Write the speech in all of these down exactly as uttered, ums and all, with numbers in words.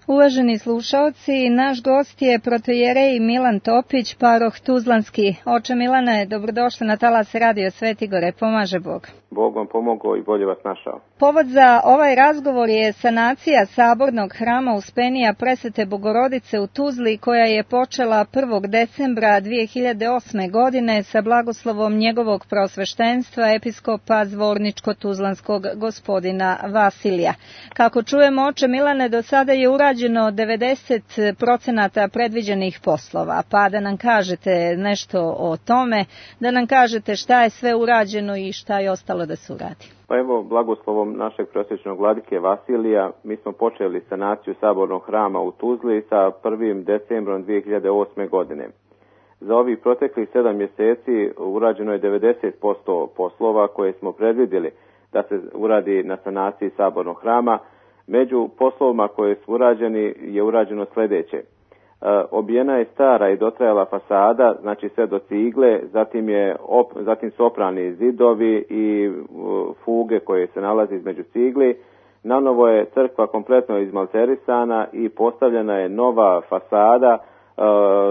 Uvaženi slušaoci, naš gost je protojerej Milan Topić, paroh Tuzlanski. Oče Milane, dobrodošli na talas Radio Sveti Gore, pomaže Bog. Bog vam pomogao i bolje vas našao. Povod za ovaj razgovor je sanacija sabornog hrama Uspenija Presvete Bogorodice u Tuzli, koja je počela prvog decembra dvije hiljade osme. godine sa blagoslovom njegovog prosveštenstva episkopa Zvorničko-Tuzlanskog gospodina Vasilija. Kako čujemo, oče Milane, do sada je urađeno devedeset procenata predviđenih poslova, pa da nam kažete nešto o tome, da nam kažete šta je sve urađeno i šta je ostalo da se uradi. Pa evo, blagoslovom našeg prosječnog vladike Vasilija, mi smo počeli sanaciju sabornog hrama u Tuzli sa prvim decembrom dvije hiljade osme. godine. Za ovih proteklih sedam mjeseci urađeno je devedeset posto poslova koje smo predvidjeli da se uradi na sanaciji sabornog hrama. Među poslovima koje su urađeni je urađeno sljedeće. E, obijena je stara i dotrajala fasada, znači sve do cigle, zatim, je op, zatim su oprani zidovi i uh, fuge koje se nalazi između cigli. Nanovo je crkva kompletno izmalterisana i postavljena je nova fasada, uh,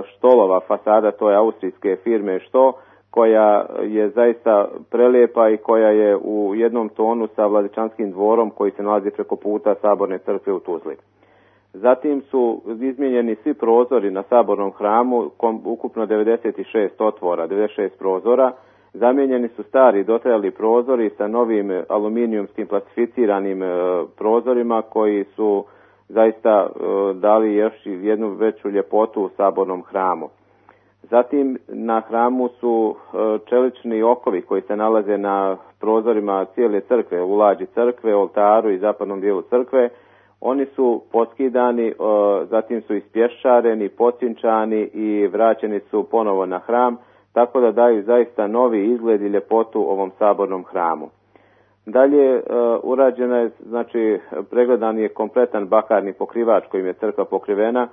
Štolova fasada, to je austrijske firme Što, koja je zaista prelijepa i koja je u jednom tonu sa Vladičanskim dvorom koji se nalazi preko puta Saborne crkve u Tuzli. Zatim su izmijenjeni svi prozori na sabornom hramu, ukupno devedeset šest otvora, devedeset šest prozora. Zamijenjeni su stari dotrajali prozori sa novim aluminijumskim plastificiranim e, prozorima koji su zaista e, dali još jednu veću ljepotu u sabornom hramu. Zatim na hramu su e, čelični okovi koji se nalaze na prozorima cijele crkve, u lađi crkve, oltaru i zapadnom dijelu crkve. Oni su poskidani, zatim su ispješčareni, pocinčani i vraćeni su ponovo na hram, tako da daju zaista novi izgled i ljepotu ovom sabornom hramu. Dalje urađena je, znači pregledan je kompletan bakarni pokrivač kojim je crkva pokrivena.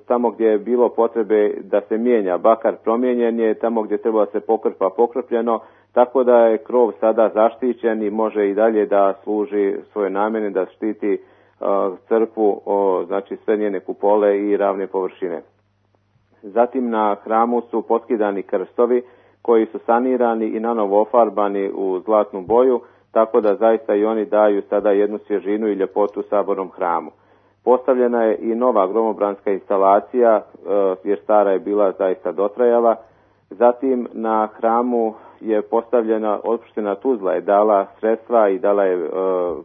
Tamo gdje je bilo potrebe da se mijenja bakar, promijenjen je, tamo gdje treba da se pokrpa, pokrpljeno, tako da je krov sada zaštićen i može i dalje da služi svoje namjene, da štiti uh, crkvu, o, znači sve njene kupole i ravne površine. Zatim na hramu su poskidani krstovi koji su sanirani i nanovo ofarbani u zlatnu boju, tako da zaista i oni daju sada jednu svježinu i ljepotu sabornom hramu. Postavljena je i nova gromobranska instalacija, jer stara je bila zaista dotrajala. Zatim na hramu je postavljena, opština Tuzla je dala sredstva i dala je e,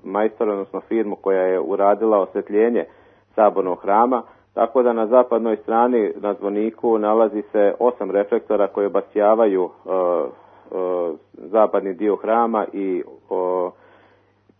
majstor, odnosno firmu koja je uradila osvjetljenje sabornog hrama, tako da na zapadnoj strani na zvoniku nalazi se osam reflektora koje obasjavaju e, e, zapadni dio hrama i e,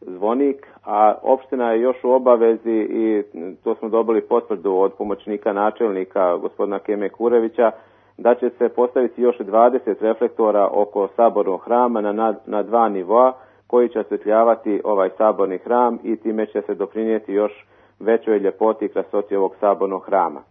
zvonik, a opština je još u obavezi i to smo dobili potvrdu od pomoćnika načelnika gospodina Keme Kurevića da će se postaviti još dvadeset reflektora oko sabornog hrama na, na dva nivoa koji će osvjetljavati ovaj saborni hram i time će se doprinijeti još većoj ljepoti i krasoti ovog sabornog hrama.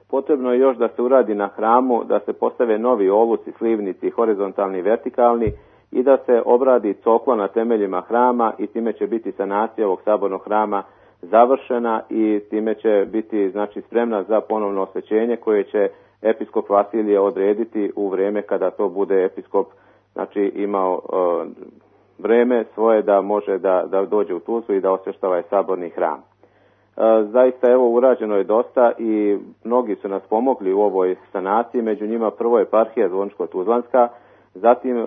Potrebno je još da se uradi na hramu, da se postave novi oluci, slivnici, horizontalni i vertikalni, i da se obradi cokla na temeljima hrama i time će biti sanacija ovog sabornog hrama završena i time će biti, znači, spremna za ponovno osvećenje koje će episkop Vasilije odrediti u vrijeme kada to bude episkop, znači, imao uh, vrijeme svoje da može da, da dođe u Tuzlu i da osvješta ovaj saborni hram. Uh, zaista evo urađeno je dosta i mnogi su nas pomogli u ovoj sanaciji, među njima prvo eparhija Zvončko-Tuzlanska, zatim uh,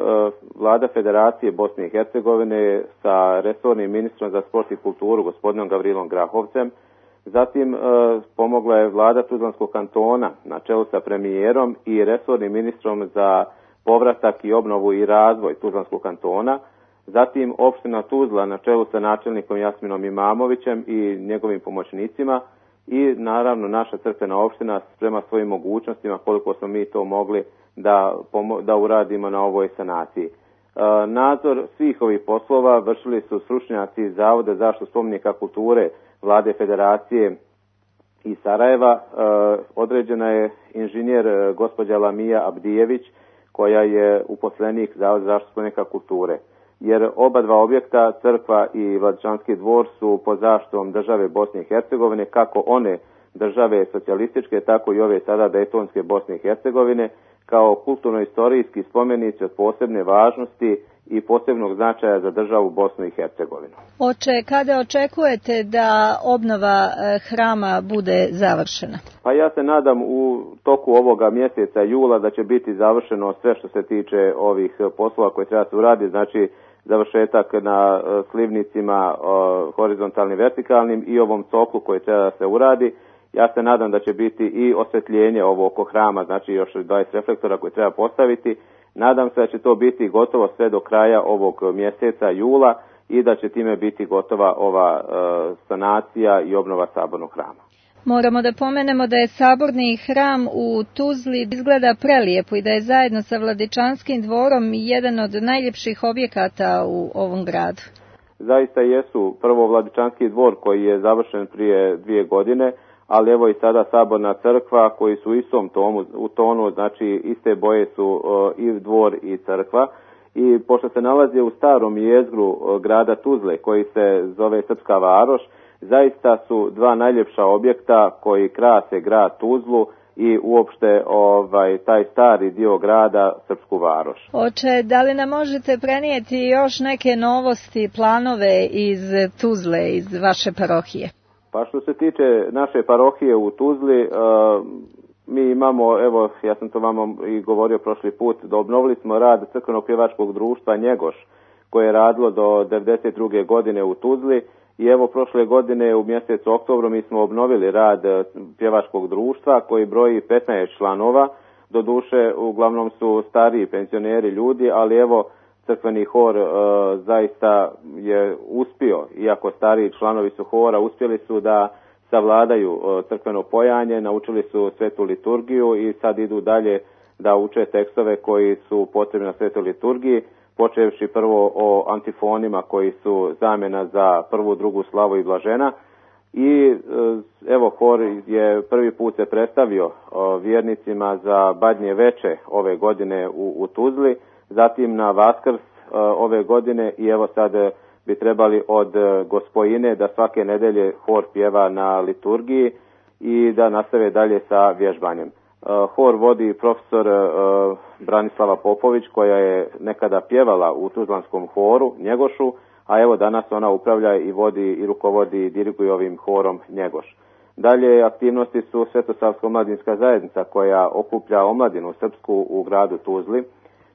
vlada Federacije Bosne i Hercegovine sa resornim ministrom za sport i kulturu gospodinom Gavrilom Grahovcem. Zatim e, pomogla je vlada Tuzlanskog kantona na čelu sa premijerom i resornim ministrom za povratak i obnovu i razvoj Tuzlanskog kantona. Zatim opština Tuzla na čelu sa načelnikom Jasminom Imamovićem i njegovim pomoćnicima i naravno naša crkvena opština prema svojim mogućnostima koliko smo mi to mogli da, da uradimo na ovoj sanaciji. E, nadzor svih ovih poslova vršili su stručnjaci iz Zavoda za zaštitu spomenika kulture Vlade Federacije iz Sarajeva. E, određena je inženjer gospođa Lamija Abdijević koja je uposlenik Zavoda za zaštitu spomenika kulture. jer oba dva objekta, crkva i Vladičanski dvor, su pod zaštitom države Bosne i Hercegovine, kako one države socijalističke, tako i ove sada Dejtonske Bosne i Hercegovine, kao kulturno-istorijski spomenici od posebne važnosti i posebnog značaja za državu Bosnu i Hercegovinu. Oče, kada očekujete da obnova hrama bude završena? Pa ja se nadam u toku ovoga mjeseca jula da će biti završeno sve što se tiče ovih poslova koje treba se uraditi, znači završetak na slivnicima horizontalnim, vertikalnim i ovom coklu koji treba da se uradi. Ja se nadam da će biti i osvjetljenje ovo oko hrama, znači još dvadeset reflektora koje treba postaviti. Nadam se da će to biti gotovo sve do kraja ovog mjeseca jula i da će time biti gotova ova e, sanacija i obnova sabornog hrama. Moramo da pomenemo da je saborni hram u Tuzli izgleda prelijepo i da je zajedno sa Vladičanskim dvorom jedan od najljepših objekata u ovom gradu. Zaista jesu, prvo Vladičanski dvor koji je završen prije dvije godine, ali evo i sada saborna crkva koji su u istom tomu, u tonu, znači iste boje su uh, i dvor i crkva. I pošto se nalazi u starom jezgru uh, grada Tuzle koji se zove Srpska varoš, zaista su dva najljepša objekta koji krase grad Tuzlu i uopšte ovaj taj stari dio grada, Srpsku varoš. Oče, da li nam možete prenijeti još neke novosti, planove iz Tuzle, iz vaše parohije? Pa što se tiče naše parohije u Tuzli, uh, mi imamo, evo ja sam to vama i govorio prošli put, da obnovili smo rad crkvenog pjevačkog društva Njegoš, koje je radilo do devedeset druge godine u Tuzli i evo prošle godine u mjesecu oktobru mi smo obnovili rad pjevačkog društva koji broji petnaest članova, doduše uglavnom su stariji penzioneri ljudi, ali evo crkveni hor e, zaista je uspio, iako stariji članovi su hora, uspjeli su da savladaju e, crkveno pojanje, naučili su svetu liturgiju i sad idu dalje da uče tekstove koji su potrebni na svetoj liturgiji, počevši prvo o antifonima koji su zamjena za prvu, drugu slavu i blažena. I e, evo hor je prvi put se predstavio e, vjernicima za Badnje veče ove godine u, u Tuzli, zatim na Vaskrs uh, ove godine i evo sad bi trebali od uh, Gospojine da svake nedelje hor pjeva na liturgiji i da nastave dalje sa vježbanjem. Uh, hor vodi profesor uh, Branislava Popović koja je nekada pjevala u Tuzlanskom horu Njegošu, a evo danas ona upravlja i vodi i rukovodi i diriguje ovim horom Njegoš. Dalje aktivnosti su Svetosavska omladinska zajednica koja okuplja omladinu srpsku u gradu Tuzli,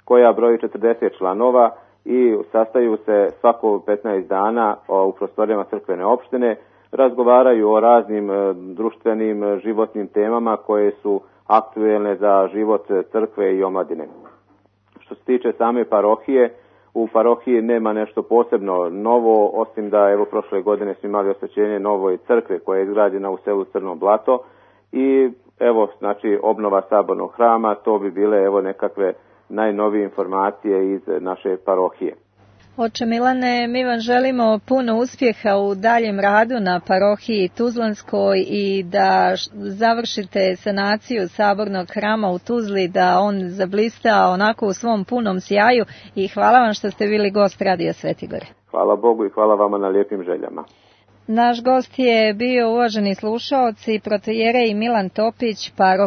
koja broji četrdeset članova i sastaju se svako petnaest dana u prostorijama crkvene opštine, razgovaraju o raznim društvenim životnim temama koje su aktuelne za život crkve i omladine. Što se tiče same parohije, u parohiji nema nešto posebno novo, osim da evo prošle godine smo imali osvećenje novoj crkve koja je izgrađena u selu Crno Blato i evo znači obnova sabornog hrama, to bi bile evo nekakve najnovije informacije iz naše parohije. Oče Milane, mi vam želimo puno uspjeha u daljem radu na parohiji Tuzlanskoj i da završite sanaciju sabornog hrama u Tuzli, da on zablista onako u svom punom sjaju i hvala vam što ste bili gost Radija Svetigore. Hvala Bogu i hvala vama na lijepim željama. Naš gost je bio, uvaženi slušaoci, protojerej Milan Topić, paroh